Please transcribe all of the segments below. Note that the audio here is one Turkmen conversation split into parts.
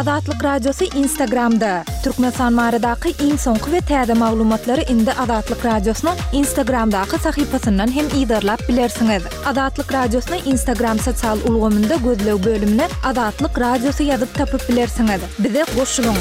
Azatlyk Radiosy Instagramda! Türkmenistan baradaky iň soňky we täze maglumatlary indi Azatlyk Radiosynyň Instagramdaky sahypasyndan hem yzarlap bilersiňiz. Azatlyk Radiosyny Instagram sosial ulgamynda gözleg bölümine Azatlyk Radiosy ýazyp tapyp bilersiňiz. Bize goşulyň!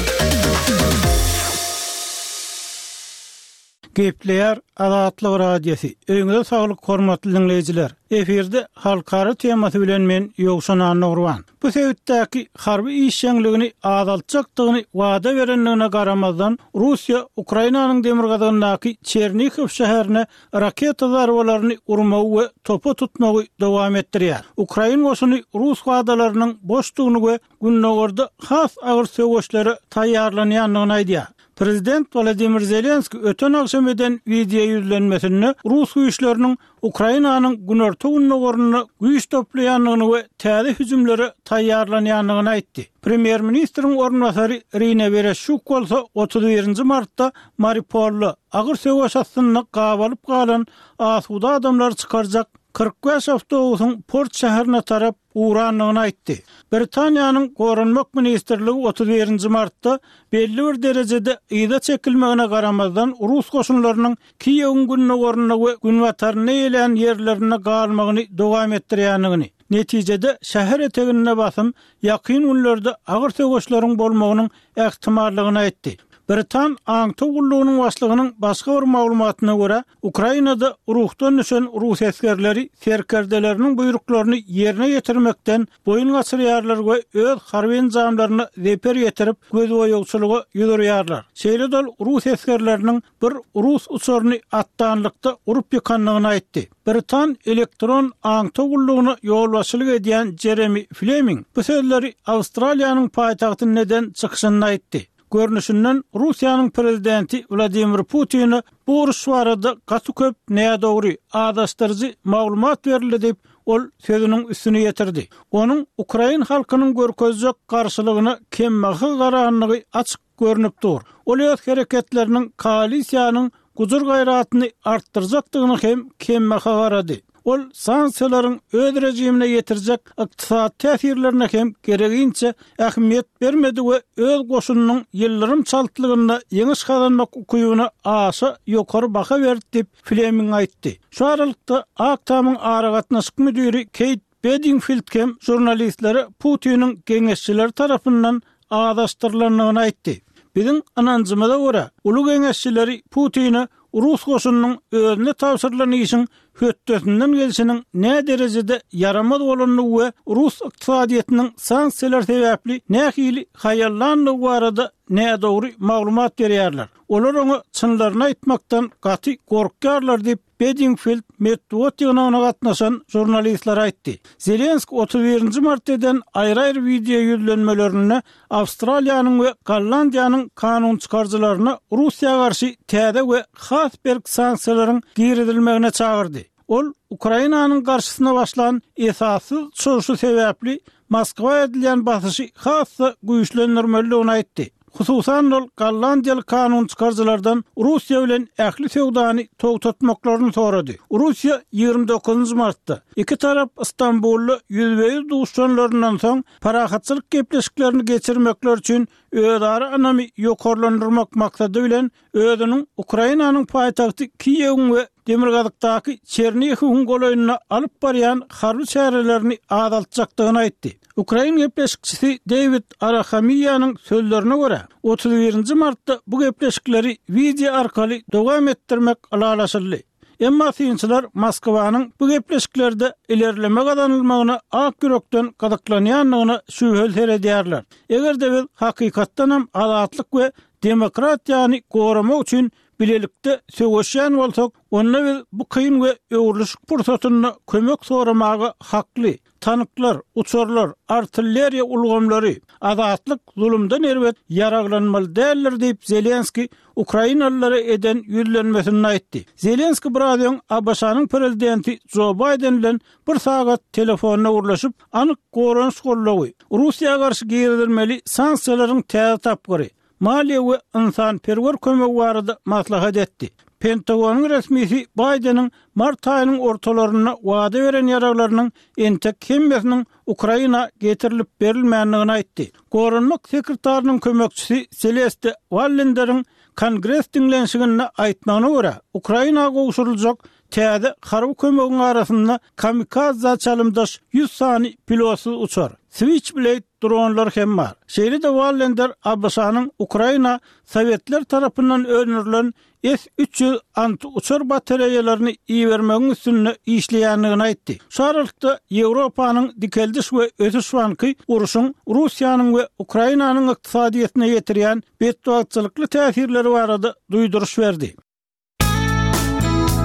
Gepleýär Azatlyk Radiosy. Öýüňize saglyk hormatly diňleýjiler. Efirde halkara temasy bilen men Ýowşan Annagurban. Bu sebitdäki harby işjeňligini azaltjakdygyny wada berendigine garamazdan, Russiýa Ukrainanyň demirgazygyndaky Çernihiw şäherine raketa zarbalaryny urmagy we topa tutmagy dowam etdirýär. Ukrain goşuny rus wadalarynyň boşdugyny we Gündogarda has agyr söweşlere taýýarlanýandygyny aýdýar. Prezident Wladimir Zelenskiý öten agşam eden wideoýüzlenmesinde rus güýçleriniň Ukrainanyň günorta-gündogarynda güýç toplaýandygyny we täze hüjümlere taýýarlanýandygyny aýtdy. Premýer-ministriň orunbasary Irina Wereşçuk bolsa 31 nji martda Mariupolda agyr söweş astynda gabalyp galan asuda adamlary çykarjak 45 awtobusyň port şäherine tarap ugrandygyny aýtdy. Britaniýanyň Goranmak ministrligi 31 nji martda belli bir derejede yza çekilmegine garamazdan, rus goşunlarynyň Kiýewiň gündogarynda we günbatarynda eýelän ýerlerinde galmagyny dowam etdirýändigini, netijede şäher eteginde basym ýakyn günlerde agyr söweşleriň bolmagynyň ähtimallygyny aýtdy. Britan aňtaw gullugynyň başlygynyň başga bir maglumatyna görä, Ukrainada ruhdan düşen rus esgerleri serkerdeleriniň buýruklaryny ýerine ýetirmekden boýun gaçyrýarlar we öz harby enjamlaryna zeper ýetirip, gözboýagçylyga ýüz urýarlar. Şeýle-de ol rus esgerleriniň bir rus uçaryny atdanlykda urup ýykandygyny aýtdy. Britan elektron aňtaw gullugyna ýolbaşçylyk edýän Jeremi Fleming bu sözleri Awstraliýanyň paýtagtynda eden çykyşynda aýtdy. Görnüşinden, Russiýanyň prezidenti Wladimir Putine bu uruş barada gaty köp nädogry, azaşdyryjy maglumat berildi diýip, ol sözüniň üstüni ýetirdi. Onuň ukrain halkynyň görkezjek garşylygyna kembaha garandygy açyk görnüp dur. Ol öz hereketleriniň koalisiýanyň gujur-gaýratyny artdyrjakdygyny hem kembaha garady. Ol sanksiýalaryň öz režimine ýetirjek ykdysady täsirlerine hem gereginçe ähmiýet bermedi we öz goşunynyň ýyldyrym çaltlygynda ýeňiş gazanmak ukybyna aşa ýokary baha berdi diýip, Fleming aýtdy. Şu aralykda, Ak Tamyň aragatnaşyk müdiri Keýt Bedingfild hem žurnalistlere Putiniň geňeşçileri tarapyndan azaşdyrylandygyny aýtdy. Biziň ynanjymyza görä, uly geňeşçileri Putine rus goşunynyň özüne tabşyrylan işiň hötdesinden gelşiniň näderejede ýaramaz bolandygy we rus ykdysadyýetiniň sanksiýalar sebäpli nähili haýallandygy barada nädogry maglumat berýärler. Olar oňa çynlaryny aýtmakdan gaty gorkýarlar diýip, Bedingfild metbugat ýygnagyna gatnaşan žurnalistlere aýtdy. Zelenskiý 31 nji martda eden aýry-aýry wideo ýüzlenmelerinde Awstraliýanyň we Gollandiýanyň kanunçykaryjylaryny Russiýa garşy täze we has berk sanksiýalaryň girizilmegine çagyrdy. Ol Ukrainanyň garşysyna başlan esassyz çozuşy sebäpli Moskwa edilýän basyşy has-da güýçlendirmelidigini aýtdy. Hususan-da ol gollandiýaly kanunçykaryjylardan Russiýa bilen ähli söwdany togtatmaklaryny sorady. Russiýa 29 nji martda, iki tarap Stambulda ýüzbe-ýüz duşuşanlaryndan soň, parahatçylyk gepleşiklerini geçirmekleri üçin özara ynamy ýokarlandyrmak maksady bilen özüniň Ukrainanyň paýtagty Kiýewiň we demirgazykdaky Çernihiwiň golaýynda alyp barýan harby çärelerini azaltjakdygyny aýtdy. Ukrain gepleşikçisi Deýwid Arahamiýanyň sözlerine görä, 31 nji martda bu gepleşikleri wideo arkaly dowam etdirmek ylalaşyldy. Emma synçylar Moskwanyň bu gepleşiklerde ilerleme gazanylmagyna ak ýürekden gyzyklanýandygyna şübheli seredýärler. Eger-de biz hakykatdanam azatlyk we demokratiýany goramak üçin bilelikde söweşýän bolsak, onda biz bu kyn we öwrülişik pursatynda kömek soramaga hakly. Tanklar, uçarlar, artilleriýa ulgamlary, azatlyk zulumdan erbet ýaraglanmaly däldir diýip, Zelenskiý ukrainalylara eden ýüzlenmesinde aýtdy. Zelenskiý biraz öň ABŞ-nyň prezidenti Jo Baýden bilen bir sagat telefonda gürleşip, anyk goranyş goldawy, Russiýa garşy girizilmeli sanksiýalaryň täze tapgyry, maliýe we ynsanperwer kömegi barada maslahat etdi. Pentagonyň resmisi Baýdeniň mart aýynyň ortalarynda wada beren ýaraglarynyň entek hemmesiniň Ukraina getirilip berilmändigini aýtdy. Goranmak sekretarynyň kömekçisi Seleste Wallenderiň Kongres diňlenişiginde aýtmagyna görä, Ukraina gowşuryljak täze harby kömegiň arasynda kamikadza çalymdaş 100 sany pilotsyz uçar, Switchblade dronlar hem bar. Şeýle-de Wallender ABŞ-nyň Ukraina sowetler tarapyndan öndürilen S 300 anti-uçar batareýalaryny ibermegiň üstünde işleýändigini aýtdy. Şu aralykda, Ýewropanyň Dikeldiş we ösüş banky urşuň Russiýanyň we Ukrainanyň ykdysadyýetine ýetirýän betbagtçylykly täsirleri barada duýduryş berdi.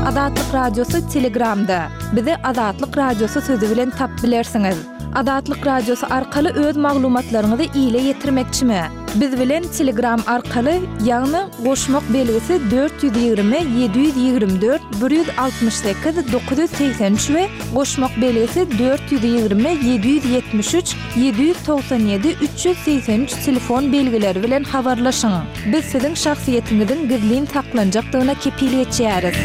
Azatlyk Radiosy Telegramda. Bizi Azatlyk Radiosy sözi bilen tap bilersiňiz. Azatlyk Radiosy arkaly öz maglumatlaryňyzy ile ýetirmekçimi? Biz bilen Telegram arkaly, ýagny goşmak belgisi 420 724 168 983 we goşmak belgisi 420 773 797 383 telefon belgileri bilen habarlaşyň. Biz siziň şahsyýetiňiziň gizlin saklanjakdygyna kepil geçýäris.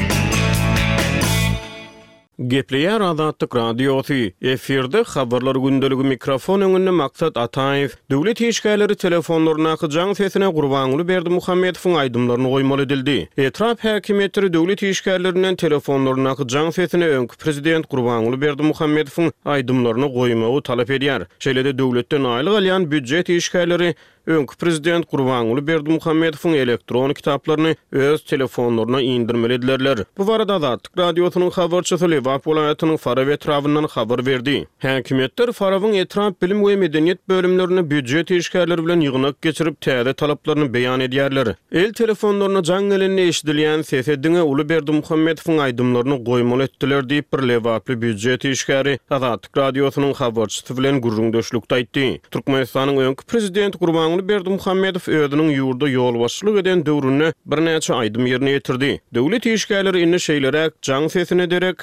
Gepleýär Azatlyk Radiosy, Efirde Habarlar gündeligi mikrofon öňünde Maksat Ataýew. Döwlet işgärleri telefonlaryndaky jaň sesine Gurbanguly Berdimuhamedowyň aýdymlaryny goýmaly edildi. Etrap häkimiýetleri döwlet işgärlerinden telefonlaryndaky jaň sesine öňki prezident Gurbanguly Berdimuhamedowyň aýdymlaryny goýmagy talap edýär. Şeýle-de döwletden aýlyk alýan býujet işgärleri Öňki prezident Gurbanguly Berdimuhamedowyň elektron kitaplaryny öz telefonlaryna indirmeli edilerler. Bu barada Azatlyk Radiosynyň habarçysy Lebap welaýatynyň Farap etrabyndan habar berdi. Häkimiýetler Farabyň etrap bilim we medeniýet bölümlerinde býujet işgärleri bilen ýygnak geçirip, täze talaplaryny beýan edýärler. El telefonlaryna jaň gelende eşidilýän sese diňe uly Berdimuhamedowyň aýdymlaryny goýmaly etdiler diýip, bir lebaply býujet işgäri Azatlyk Radiosynyň habarçysy bilen gürrüňdeşlikde aýtdy. Türkmenistanyň öňki prezidenti Gurbanguly Berdimuhamedow özüniň ýurda ýolbaşçylyk eden döwründe birnäçe aýdym ýerine ýetirdi. Döwlet işgärleri indi şeýleräk jaň sesine derek,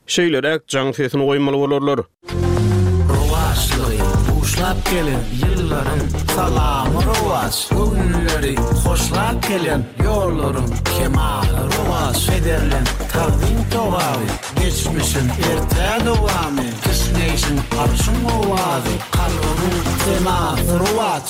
Şeýleräk jaň sesini goýmaly bolarlar. Rowaçlygy buşlap gelen ýyllaryň salamy rowaç, Göwünleri hoşlap gelen ýollaryň kemaly rowaç, Pederleň tagzym togaby, geçmişiň ertä dowamy, Kişňeýşiň arşyň owazy, kalbymyň senasy rowaç.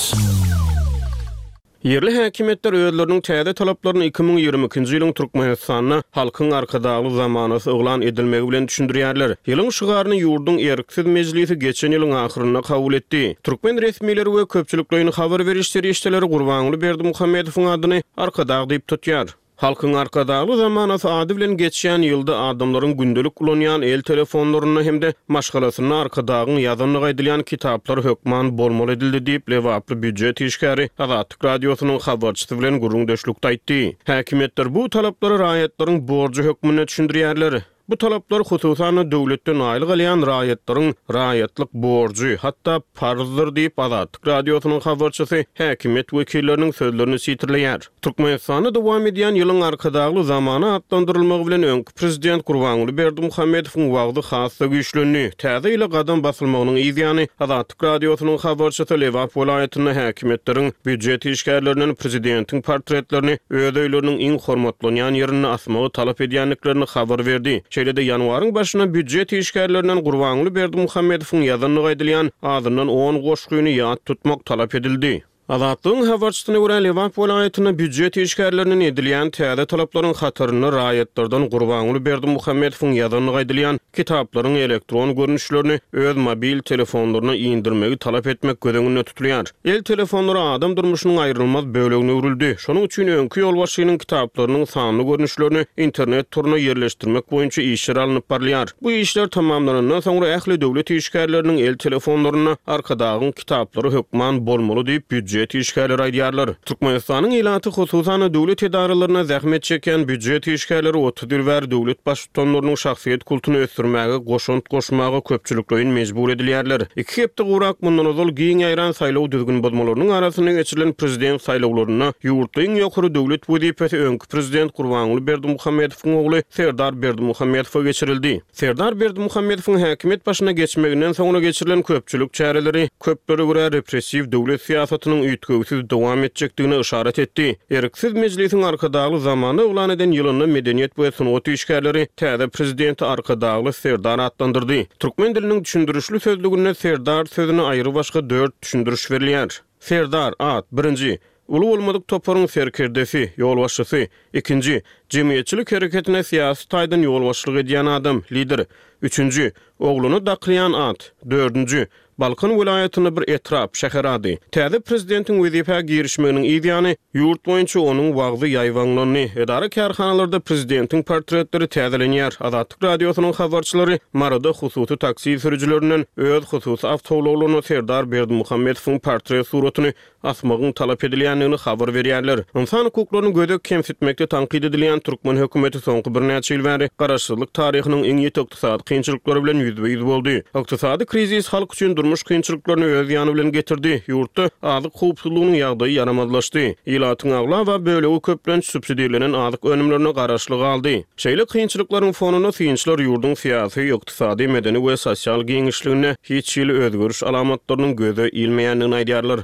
Ýerli häkimiýetler özleriniň täze talaplaryny 2022-nji ýylyň Türkmenistanda Halkyň Arkadagly zamanasy yglan edilmegi bilen düşündirýärler. Ýylyň şygaryny ýurduň Erksiz mejlisi geçen ýylyň ahyrynda kabul etdi. Türkmen resmileri we köpçülikleýin habar beriş serişdeleri Gurbanguly Berdimuhamedowyň adyny Arkadag diýip tutýar. Halkyň Arkadagly zamanasy ady bilen geçýän ýylda adamlaryň gündelik ulanýan el telefonlarynda hem-de maşgalasynda Arkadagyň ýazandygy aýdylýan kitaplar hökman bolmaly edildi diýip, lebaply býujet işgäri Azatlyk Radiosynyň habarçysy bilen gürrüňdeşlikde aýtdy. Häkimiýetler bu talaplary raýatlaryň borjy hökmünde düşündirýärler. Bu talaplar, hususan-da, döwletden aýlyk alýan raýatlaryň raýatlyk borjy, hatda parzdyr diýip, Azatlyk Radiosynyň habarçysy häkimiýet wekilleriniň sözlerini sitirleýär. Türkmenistanda dowam edýän ýylyň Arkadagly zamana atlandyrylmagy bilen öňki prezident Gurbanguly Berdimuhamedowyň wagzy has-da güýçlendi. Täze ýyla gadam basylmagynyň yzýany, Azatlyk Radiosynyň habarçysy Lebap welaýatynda häkimiýetleriň býujet işgärlerinden prezidentiň portretlerini öz öýleriniň iň hormatlanýan ýerinde asmagy talap edýändiklerini habar berdi. Şeýle-de ýanwaryň başynda býujet işgärlerinden Gurbanguly Berdimuhamedowyň ýazandygy aýdylýan azyndan on goşgyny ýat tutmak talap edildi. Azatlygyň habarçysyna görä, Lebap welaýatynda býujet işgärlerinden edilýän täze talaplaryň hatarynda raýatlardan Gurbanguly Berdimuhamedowyň ýazandygy aýdylýan kitaplaryň elektron görnüşlerini öz mobil telefonlaryna indirmegi talap etmek göz öňünde tutulýar. El telefonlary adam durmuşynyň aýrylmaz bölegine öwrüldi. Şonuň üçin öňki ýolbaşçynyň kitaplarynyň sanly görnüşlerini internet toruna ýerleşdirmek boýunça işler alnyp barylýar. Bu işler tamamlanandan soňra ähli döwlet işgärleriniň el telefonlarynda Arkadagyň kitaplary hökman bolmaly diýip, býujet. býujet işgärleri aýdýarlar. Türkmenistanyň ilaty, hususan-da, döwlet edaralarynda zähmet çekýän býujet işgärleri 30 ýyl bäri döwlet baştutanlarynyň şahsyýet kultuny ösdürmäge goşant goşmaga köpçülikleýin mejbur edilýärler. Iki hepde gowrak mundan ozal giň ýaýran saýlaw düzgün bozmalarynyň arasynda geçirilen prezident saýlawlarynda ýurtda iň ýokary döwlet wezipesi öňki prezident Gurbanguly Berdimuhamedowyň ogly Serdar Berdimuhamedowa geçirildi. Serdar Berdimuhamedowyň häkimiýet başyna geçmeginden soňra geçirilen köpçülik çäreleri, köplere görä, repressiw döwlet syýasatynyň üýtgewsiz dowam etjekdigine yşarat etdi. Erksiz Mejlisiň Arkadagly zamana yglan eden ýylynda medeniýet we sungat işgärleri täze prezidenti Arkadagly Serdar atlandyrdy. Türkmen diliniň düşündirişli sözlüginde Serdar sözüne aýrybaşga dört düşündiriş berilýär. Serdar, at, birinji, uly bolmadyk toparyň serkerdesi, ýolbaşçysy, ikinji, jemgyýetçilik hereketine syýasy taýdan ýolbaşçylyk edýän adam, lider, üçünji, oglana dakylýan at, dördünji, Balkan welaýatynda bir etrap, şäher ady. Täze prezidentiň wezipä girişmeginiň yz ýany, ýurt boýunça onuň wagzy ýaýbaňlandy. Edara-kärhanalarda prezidentiň portretleri täzelenýär. Azatlyk Radiosynyň habarçylary Maryda hususy taksi sürüjilerinden öz hususy awtoulaglaryna Serdar Berdimuhamedowyň portret suratyny asmagyň talap edilýändigini habar berýärler. Ynsan hukuklaryny gödek kemsitmekde tankyt edilýän türkmen hökümeti soňky birnäçe ýyl bäri garaşsyzlyk taryhynyň iň ýiti ykdysady kynçylyklary bilen ýüzbe-ýüz boldy. Ykdysady krizis halk üçin durmuş kynçylyklaryny öz ýany bilen getirdi, ýurtda azyk howpsuzlygynyň ýagdaýy ýaramazlaşdy. Ilatyň aglaba bölegi köplenç subsidirlenen azyk önümlerine garaşly galdy. Şeýle kynçylyklaryň fonunda synçylar ýurduň syýasy, ykdysady, medeni we sosial giňişliginde hiç hili özgeriş alamatlarynyň göze ilmeýändigini aýdýarlar.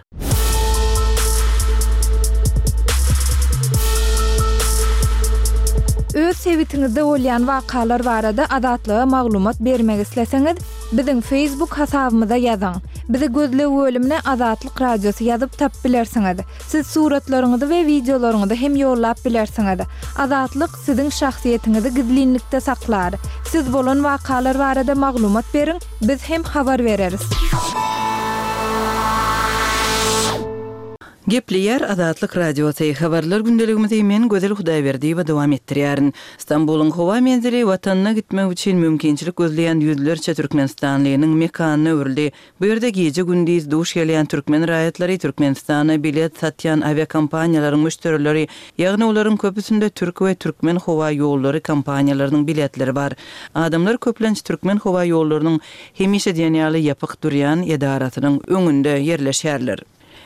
Öz sebitiňizde bolýan wakalar barada Azatlyga maglumat bermek isleseňiz, biziň Facebook hasabymyza ýazyň. Bizi gözleg bölümine Azatlyk Radiosy ýazyp tapyp bilersiňiz. Siz suratlaryňyzy we wideolaryňyzy hem ýollap bilersiňiz. Azatlyk siziň şahsyýetiňizi gizlinlikde saklar. Siz bolan wakalar barada maglumat beriň, biz hem habar bereris. Gepleýär Azatlyk Radiosy, Habarlar gündeligimizi men Gözel Hudaýberdiýewa dowam etdirýärin. Stambulyň howa menzili Watanyna gitmek üçin mümkinçilik gözleýän ýüzlerçe türkmenistanlynyň mekanyna öwrüldi. Bu ýerde gije-gündiz duş gelýän türkmen raýatlary Türkmenistana bilet satýan awiakompaniýalaryň müşderileri, ýagny olaryň köpüsinde türk we türkmen howa ýollary kompaniýalarynyň biletleri bar. Adamlar köplenç türkmen howa ýollarynyň hemişe diýen ýaly ýapyk durýan edarasynyň öňünde ýerleşýärler.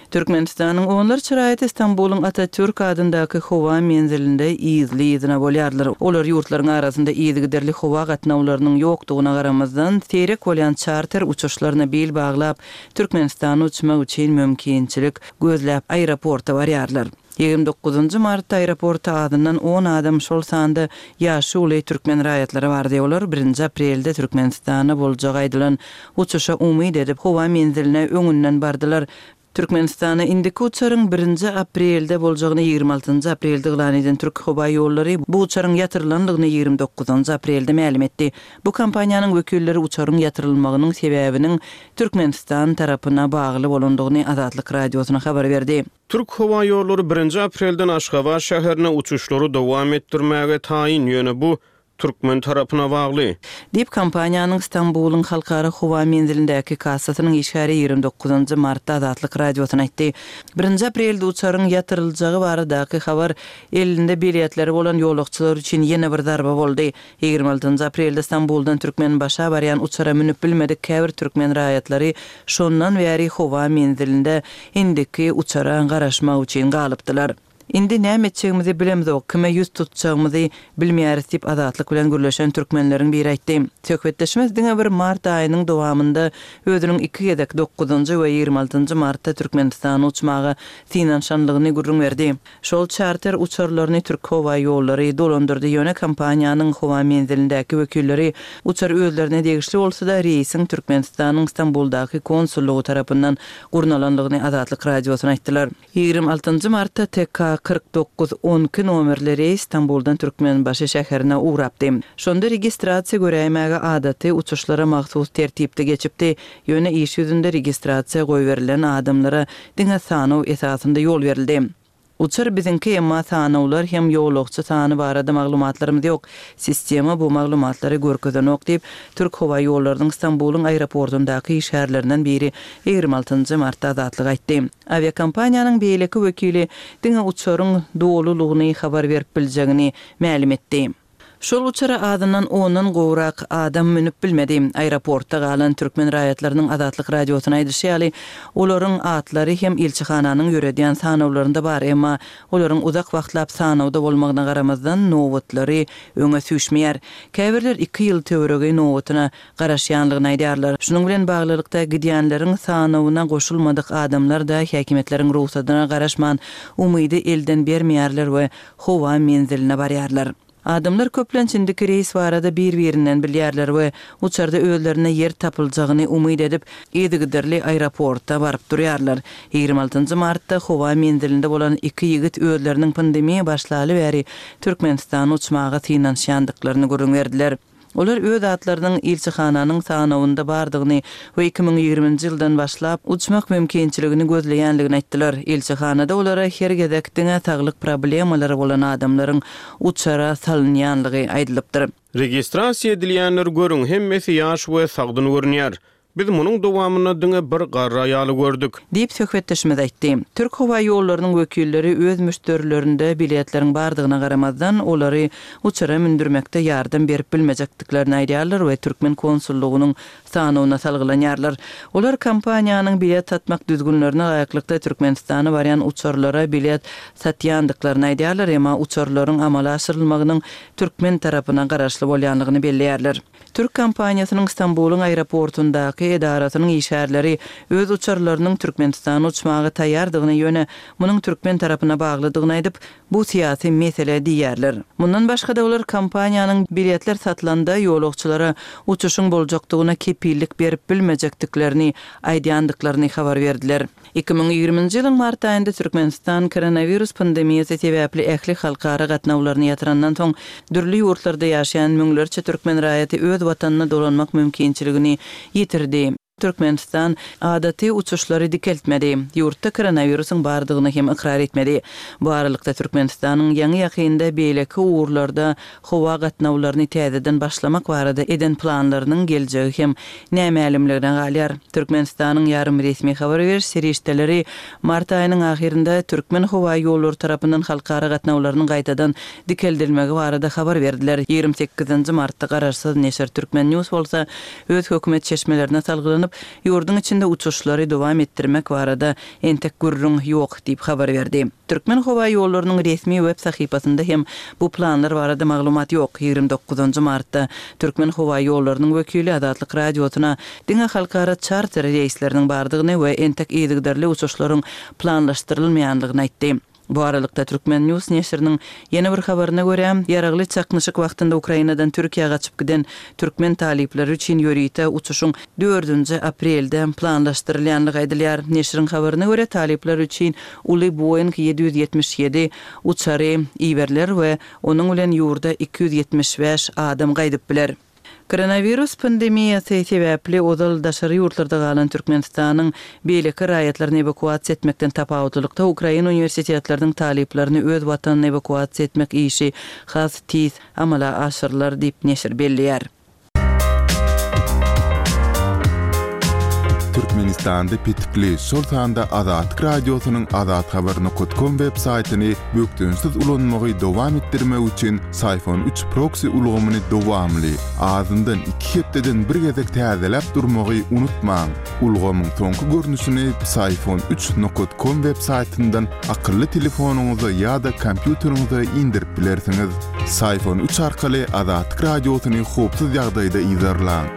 Türkmenistanyň onlarça raýaty Stambulyň Atatürk adyndaky howa menzilinde yzly-yzyna bolýarlar. Olar ýurtlaryň arasynda yzygiderli howa gatnawlarynyň ýokdugyna garamazdan, seýrek bolýan çarter uçuşlaryna bil baglap, Türkmenistana uçmak üçin mümkinçilik gözläp aeroporta barýarlar. 29 martda aeroporta azyndan on adam, şol sanda ýaşy uly türkmen raýatlary bardy. Olar birinji aprelde Türkmenistana boljagy aýdylan uçuşa umyt edip, howa menziline öňünden bardylar. Türkmenistana indiki uçaryň birinji aprelde boljagyny 26 aprelde yglan eden Türkhowaýollary bu uçaryň ýatyrylandygyny 29 aprelde mälim etdi. Bu kompaniýanyň wekilleri uçaryň ýatyrylmagynyň sebäbiniň Türkmenistan tarapyna bagly bolandygyny Azatlyk Radiosyna habar berdi. Türk howa ýollary birinji aprelden Aşgabat şäherine uçuşlary dowam etdirmäge taýyn, ýöne bu türkmen tarapyna bagly. Diýip, kompaniýanyň Stambulyň halkara howa menzilindäki kassasynyň işgäri 29 martda Azatlyk Radiosyna aýtdy. Birinji aprelde uçaryň ýatyryljagy baradaky habar elinde biletleri bolan ýolagçylar üçin ýene bir zarba boldy. 26 aprelde Stambuldan Türkmenbaşa barýan uçara münüp bilmedik käbir türkmen raýatlary şondan bäri howa menzilinde indiki uçara garaşmak üçin galypdylar. Indi näme etjegimizi bilemzok, kime ýüz tutjagymyzy bilmeýäris diýip, Azatlyk bilen gürleşen türkmenleriň biri aýtdy. Söhbetdeşimiz diňe bir mart aýynyň dowamynda özüniň iki gezek, dokuzynjy we 26 martda Türkmenistana uçmaga synanyşanlygyny gürrüň berdi. Şol çarter uçarlaryny Türkhowaýollary dolandyrdy, ýöne kompaniýanyň howa menzilindäki wekilleri uçar özlerine degişli bolsa-da, reýsiň Türkmenistanyň Stambuldaky konsullygy tarapyndan gurnalandygyny Azatlyk Radiosyna aýtdylar. 26 martda TK 49 12 nomerli reýs Stambuldan Türkmenbaşy şäherine ugrapdy. Şonda registrasiýa göräýmäge adaty uçuşlara mahsus tertipde geçipdi, ýöne iş ýüzünde registrasiýa goýberilen adamlara diňe sanaw esasynda ýol berildi. Uçar biziňki, emma sanawlar hem ýolagçy sany barada maglumatlarymyz ýok. Sistema bu maglumatlary görkezenok diýip, Türk howa ýollarynyň Stambulyň aeroportundaky işgärlerinden biri 26 martda Azatlyga aýtdy. Awiakompaniýanyň beýleki wekili diňe uçaryň dolulygyny habar berip biljegini mälim etdi. Şol uçara azyndan ondan gowrak adam münüp bilmedi. Aeroportda galan türkmen raýatlarynyň Azatlyk Radiosyna aýdyşy ýaly, olaryň atlary hem ilçihananyň ýöredýän sanawlarynda bar, emma olaryň uzak wagtlap sanawda bolmagyna garamazdan, nobatlary öňe süýşmeýär. Käbirler iki ýyl töweregi nobatyna garaşýanlygyny aýdýarlar. Şunuň bilen baglylykda, gidýänleriň sanawyna goşulmadyk adamlar-da häkimiýetleriň rugsadyna garaşman, umydy elden bermeýärler we howa menziline barýarlar. Adamlar köplenç indiki reýs barada bir-birinden bilýärler we uçarda özlerine ýer tapyljagyny umyt edip, yzygiderli aeroporta baryp durýarlar. 26 martda howa menzilinde bolan iki ýigit özleriniň pandemiýa başlaly bäri Türkmenistana uçmaga synanyşýandyklaryny gürrüň berdiler. Olar öz atlarynyň ilçihananyň sanawynda bardygyny we 2020-nji ýyldan başlap uçmak mümkinçiligini gözleýändigini aýtdylar. Ilçihanada olara her gezek diňe saglyk problemalary bolan adamlaryň uçara salynýanlygy aýdylypdyr. Registrasiýa edilýänleri görüň, hemmesi ýaş we sagdyn görünýär. Biz munuň dowamynda diňe bir garry aýaly gördük. Diýip, söhbetdeşimiz aýtdy. Türk howa ýollarynyň wekilleri öz müşderilerinde biletleriň bardygyna garamazdan, olary uçara mündürmekde ýardam berip bilmejekdiklerini aýdýarlar we türkmen konsullygynyň sanawyna salgylanýarlar. Olar kompaniýanyň bilet satmak düzgünlerine laýyklykda Türkmenistana barýan uçarlara bilet satýandyklaryny aýdýarlar, emma uçarlaryň amala aşyrylmagynyň türkmen tarapyna garaşly bolýandygyny belleýärler. Türk kompaniýasynyň Stambulyň aeroportundaky edarasynyň işgärleri öz uçarlarynyň Türkmenistana uçmaga taýýardygyny, ýöne munuň türkmen tarapyna baglydygyny aýdyp, bu syýasy mesele diýýärler. Mundan başga-da olar kompaniýanyň biletler satylanda ýolagçylara uçuşyň boljakdygyna kepillik berip bilmejekdiklerini aýdýandyklaryny habar berdiler. 2020-nji ýylyň mart aýynda Türkmenistan koronawirus pandemiýasy sebäpli ähli halkara gatnawlaryny ýatyrandan soň, dürli ýurtlarda ýaşaýan müňlerçe türkmen raýaty öz watanyna dolanmak mümkinçiligini ýitirdi. Türkmenistan adaty uçuşlary dikeltmedi, ýurtda koronawirusyň bardygyny hem ykrar etmedi. Bu aralykda, Türkmenistanyň ýaňy-ýakynda beýleki ugurlarda howa gatnawlaryny täzeden başlamak barada eden planlarynyň geljegi hem nämälimligine galýar. Türkmenistanyň ýarym resmi habar beriş serişdeleri mart aýynyň ahyrynda Türkmenhowaýollary tarapyndan halkara gatnawlarynyň gaýtadan dikeldilmegi barada habar berdiler. 28 martda garaşsyz neşir Turkmen. News bolsa öz hökümet çeşmelerine salgylanyp, ýurduň içinde uçuşlary dowam etdirmek barada entek gürrüň ýok diýip habar berdi. Türkmenhowaýollarynyň resmi web sahypasynda hem bu planlar barada maglumat ýok. 29 martda Türkmenhowaýollarynyň wekili Azatlyk Radiosyna diňe halkara çarter reýsleriniň bardygyny we entek yzygiderli uçuşlaryň planlaşdyrylmaýanlygyny aýtdy. Bu aralykda, Turkmen. News neşiriniň ýene bir habaryna görä, ýaragly çaknyşyk wagtynda Ukrainadan Türkiýä gaçyp giden türkmen talyplary üçin ýörite uçuşyň dördünji aprelde planlaşdyrylýandygy aýdylýar. Neşiriň habaryna görä, talyplar üçin uly Boeing 777 uçary iberiler we onuň bilen ýurda 275 adam gaýdyp biler. Koronawirus pandemiýasy sebäpli ozal daşary ýurtlarda galan Türkmenistanyň beýleki raýatlaryny ewakuasiýa etmekden tapawutlylykda, ukrain uniwersitetleriniň talyplaryny öz watanyna ewakuasiýa etmek işi has tiz amala aşyrylar diýip, neşir belleýär. Türkmenistanda petikli, şol sanda Azatlyk Radiosynyň azathabar nokat kom web saýtyny bökdençsiz ulanmagy dowam etdirmek üçin Syphon üç proksi ulgamyny dowamly, azyndan iki hepdeden bir gezek täzeläp durmagy unutmaň. Ulgamyň soňky görnüşini Psiphon üç nokat kom web saýtyndan akylly telefonyňyza ýa-da kompýuteriňize indirip bilersiňiz. Syphon üç arkaly Azatlyk Radiosyny howpsuz ýagdaýda yzarlaň.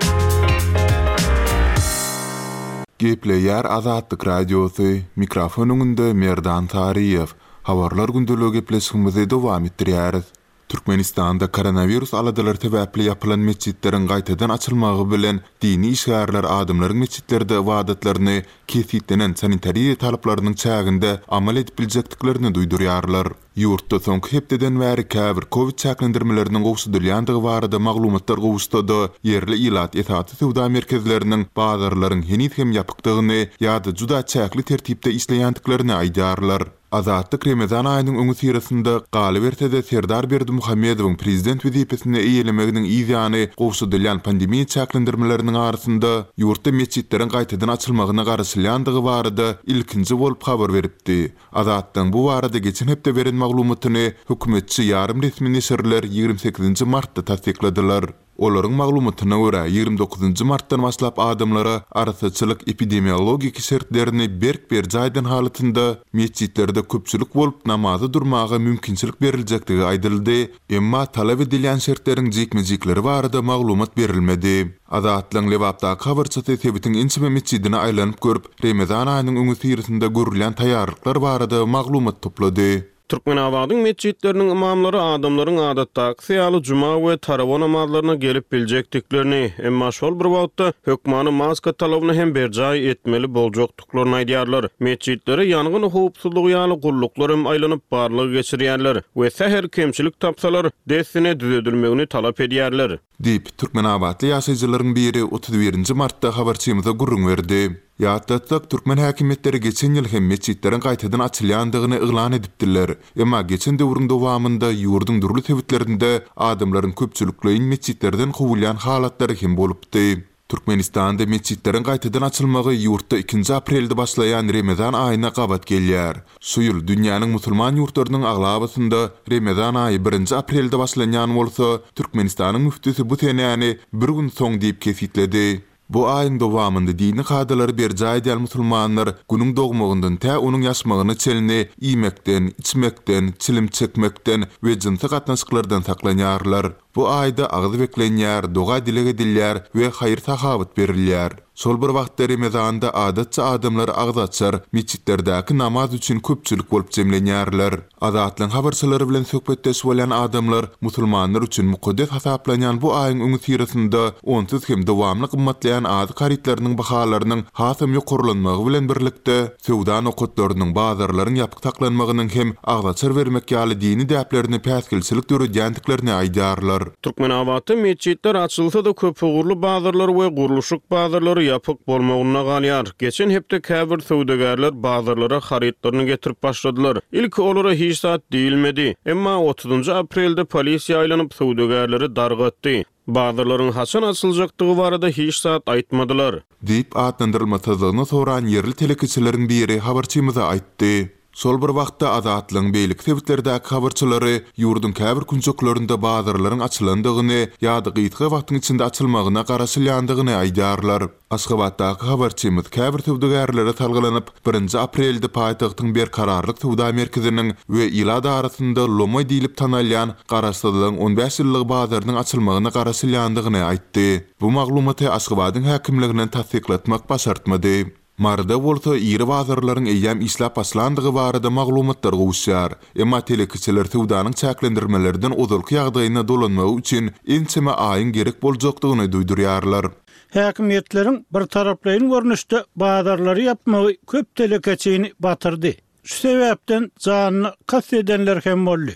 Gepleýär Azatlyk Radiosy, mikrofon öňünde Merdan Saryýew. Habarlar gündeligi gepleşigimizi dowam etdirýäris. Türkmenistanda koronawirus aladalary sebäpli ýapylan metjitleriň gaýtadan açylmagy bilen dini işgärler adamlaryň metjitlerde ybadatlaryny kesgitlenen sanitariýa talaplarynyň çäginde amal edip biljekdiklerini duýdurýarlar. Ýurtda soňky hepdeden bäri käbir kowid çäklendirmeleriniň gowşadylýandygy barada maglumatlar gowuşsa-da, ýerli ilat esasy söwda merkezleriniň, bazarlaryň heniz hem ýapykdygyny ýa-da juda çäkli tertipde işleýändiklerini aýdýarlar. Azatlyk Remezan aýynyň öňüsyrasynda, galyberse-de Serdar Berdimuhamedowyň prezident wezipesini eýelemeginiň yz ýany gowşadylýan pandemiýa çäklendirmeleriniň arasynda, ýurtda metjitleriň gaýtadan açylmagyna garaşylýandygy barada ilkinji bolup habar beripdi. Azatlygyň bu barada geçen hepde beren maglumatyny hökümetçi ýarym resmi neşirler 28-nji martda tassykladylar. Olaryň maglumatyna görä, 29-njy martdan başlap adamlara arassaçylyk-epidemiologik şertlerini berk berjaý eden halatynda metjitlerde köpçülik bolup namaza durmaga mümkinçilik beriljekdigi aýdyldy, emma talap edilýän şertleriň jikme-jikleri barada maglumat berilmedi. Azatlygyň Lebapdaky habarçysy sebitiň ençeme metjidine aýlanyp görüp, Remezan aýynyň öňüsyrasynda görülýän taýýarlyklar barada maglumat toplady. Türkmenabadyň metjitleriniň ymamlary adamlaryň adatdakysy ýaly juma we tarawa namazlaryna gelip biljekdiklerini, emma şol bir wagtda hökmany maska talabyny hem berjaý etmeli boljakdyklaryny aýdýarlar. Metjitlere ýangyn howpsuzlygy ýaly gulluklar hem aýlanyp barlag geçirýärler we sähel kemçilik tapsalar, dessine düzedilmegini talap edýärler. Diýip, türkmenabatly ýaşaýjylaryň biri 31 nji martda habarçymyza gürrüň berdi. Ýatlatsak, türkmen häkimiýetleri geçen ýyl hem metjitleriň gaýtadan açylýandygyny yglan edipdiler. Emma geçen döwrüň dowamynda ýurduň dürli sebitlerinde adamlaryň köpçülikleýin metjitlerden kowulýan halatlary hem bolupdy. Türkmenistanda metjitleriň gaýtadan açylmagy ýurtda ikinji aprelde başlaýan Remezan aýyna gabat gelýär. Şu ýyl dünýäniň musulman ýurtlarynyň aglabasynda Remezan aýy birinji aprelde başlanýan bolsa, Türkmenistanyň müftüsi bu senäni bir gün soň diýip kesgitledi. Bu aýyň dowamynda dini kadalary berjaý edýän musulmanlar Günüň dogmagyndan tä onuň ýaşmagyna çenli iýmekden, içmekden, çilim çekmekden we jynsy gatnaşyklardan saklanýarlar. Bu aýda agyz beklenýär, doga-dileg edilýär we haýyr-sahawat berilýär. Şol bir wagtda Remezanda adatça adamlar agyz açar, metjitlerdäki namaz üçin köpçülik bolup jemlenýärler. Azatlygyň habarçylary bilen söhbetdeş bolýan adamlar musulmanlar üçin mukaddes hasaplanýan bu aýyň öňüsyrasynda onsuz hem dowamly gymmatlaýan azyk harytlarynyň bahalarynyň hasam ýokarlanmagy bilen birlikde, söwda nokatlarynyň, bazarlaryň ýapyk saklanmagynyň hem agzaçar bermek ýaly dini däplerine päsgelçilik döredýändiklerini aýdýarlar. Türkmenabatda metjitler açylsa-da, köpugurly bazarlar we gurluşyk bazarlary ýapyk bolmagynda galýar. Geçen hepde käbir söwdagärler bazarlara harytlaryny getirip başladylar. Ilki olara hiç zat diýilmedi. Emma otuzynjy aprelde polisiýa aýlanyp, söwdagärleri dargatdy. Bazarlaryň haçan açyljakdygy barada hiç zat aýtmadylar. Diýip, atlandyrylmasyzlygyny soran ýerli telekeçileriň biri habarçymyza aýtdy. Şol bir wagtda, Azatlygyň beýleki sebitlerdäki habarçylary ýurduň käbir künjeklerinde bazarlaryň açylandygyny ýa-da gysga wagtyň içinde açylmagyna garaşylýandygyny aýdýarlar. Aşgabatdaky habarçymyz käbir söwdagärlere salgylanyp, birinji aprelde paýtagtyň Berkararlyk söwda merkeziniň we ilat arasynda lomaý diýlip tanalýan Garaşsyzlygyň on bäş ýyllygy bazarynyň açylmagyna garaşylýandygyny aýtdy. Bu maglumaty Aşgabadyň häkimliginden tassyklatmak başartmady. Maryda bolsa iri bazarlaryň eýýäm işläp başlandygy barada maglumatlar gowuşýar. Emma telekeçiler söwdanyň çäklendirmelerden ozalky ýagdaýyna dolanmagy üçin ençeme aýyň gerek boljakdygyny duýdurýarlar. Häkimiýetleriň birtaraplaýyn görnüşde bazarlary ýapmagy köp telekeçini batyrdy. Şu sebäpden janyna kast edenler hem boldy.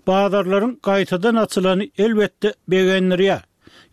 Bazarlaryň gaýtadan açylany elbetde begendirýär.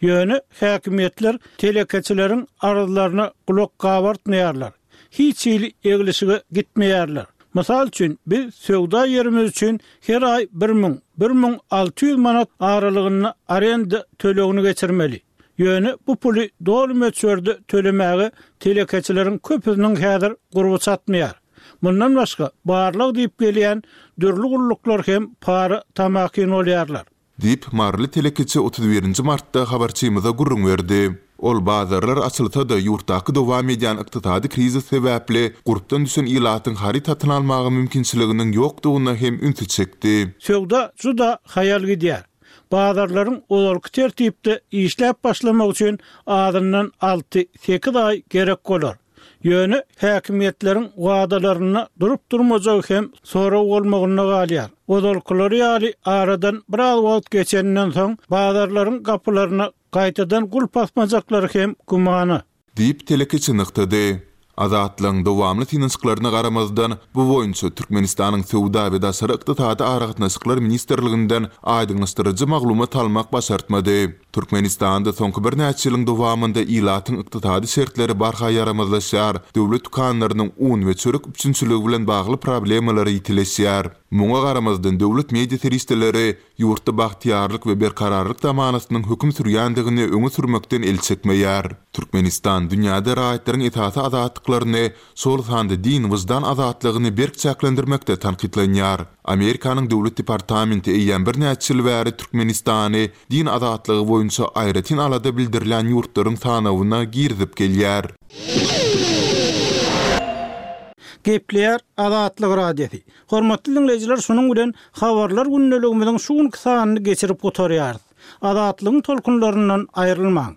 Ýöne häkimiýetler telekeçileriň arzlaryna gulak gabartmaýarlar. Hiç hili eglişige gitmeýärler. Mysal üçin, biz söwda ýerimiz üçin her aý 1000, 1600 manat aralygynda arenda tölegini geçirmeli. Ýöne bu puly doly möçberde tölemäge telekeçileriň köpüsiniň häzir gurby çatmaýar. Mundan başga, barlag diýip gelýän dürli gulluklar hem para tamakin bolýarlar. Diýip, maryly telekeçi 31 nji martda habarçymyza gürrüň berdi. Ol bazarlar açylsa-da, ýurtdaky dowam edýän ykdysady krizis sebäpli gurpdan düşen ilatyň haryt satyn almaga mümkinçiliginiň ýokdugyna hem ünsi çekdi. Söwda juda haýal gidýär. Bazarlaryň ozalky tertipde işläp başlamagy üçin azyndan alty, sekiz aý gerek bolar. Ýöne häkimiýetleriň wadalarynda durup-durmajagy hem sorag bolmagynda galýar. Ozalkylary ýaly aradan biraz wagt geçeninden soň bazarlaryň gapylaryna gaýtadan gulp asmajaklary hem gümana. Diýip, telekeçi nygtady. Azatlygyň dowamly synanyşyklaryna garamazdan, bu boýunça Türkmenistanyň Söwda we daşary ykdysady aragatnaşyklar ministrliginden aýdyňlaşdyryjy maglumat almak başartmady. Türkmenistanda soňky birnäçe ýylyň dowamynda ilatyň ykdysady şertleri barha ýaramazlaşýar, döwlet dükanlarynyň un we çörek üpjünçiligi bilen bagly problemalary ýitileşýär. Muňa garamazdan, döwlet media serişdeleri ýurtda bagtyýarlyk we berkararlyk zamanasynyň höküm sürýändigini öňe sürmekden el çekmeýär. Türkmenistan dünýäde raýatlaryň esasy azatlyklaryny, şol sanda din, wyždan azatlygyny berk çäklendirmekde tankytlanýar. Amerikanyň Döwlet departamenti eýýäm birnäçe ýyl bäri Türkmenistany din azatlygy boýunça aýratyn alada bildirilýän ýurtlaryň sanawyna girizip gelýär. Gepleýär Azatlyk Radiosy. Hormatly diňleýjiler şunuň bilen Habarlar gündeligimiziň şu günki sanyny geçirip gutarýarys. Azatlygyň tolkunlaryndan aýrylmaň.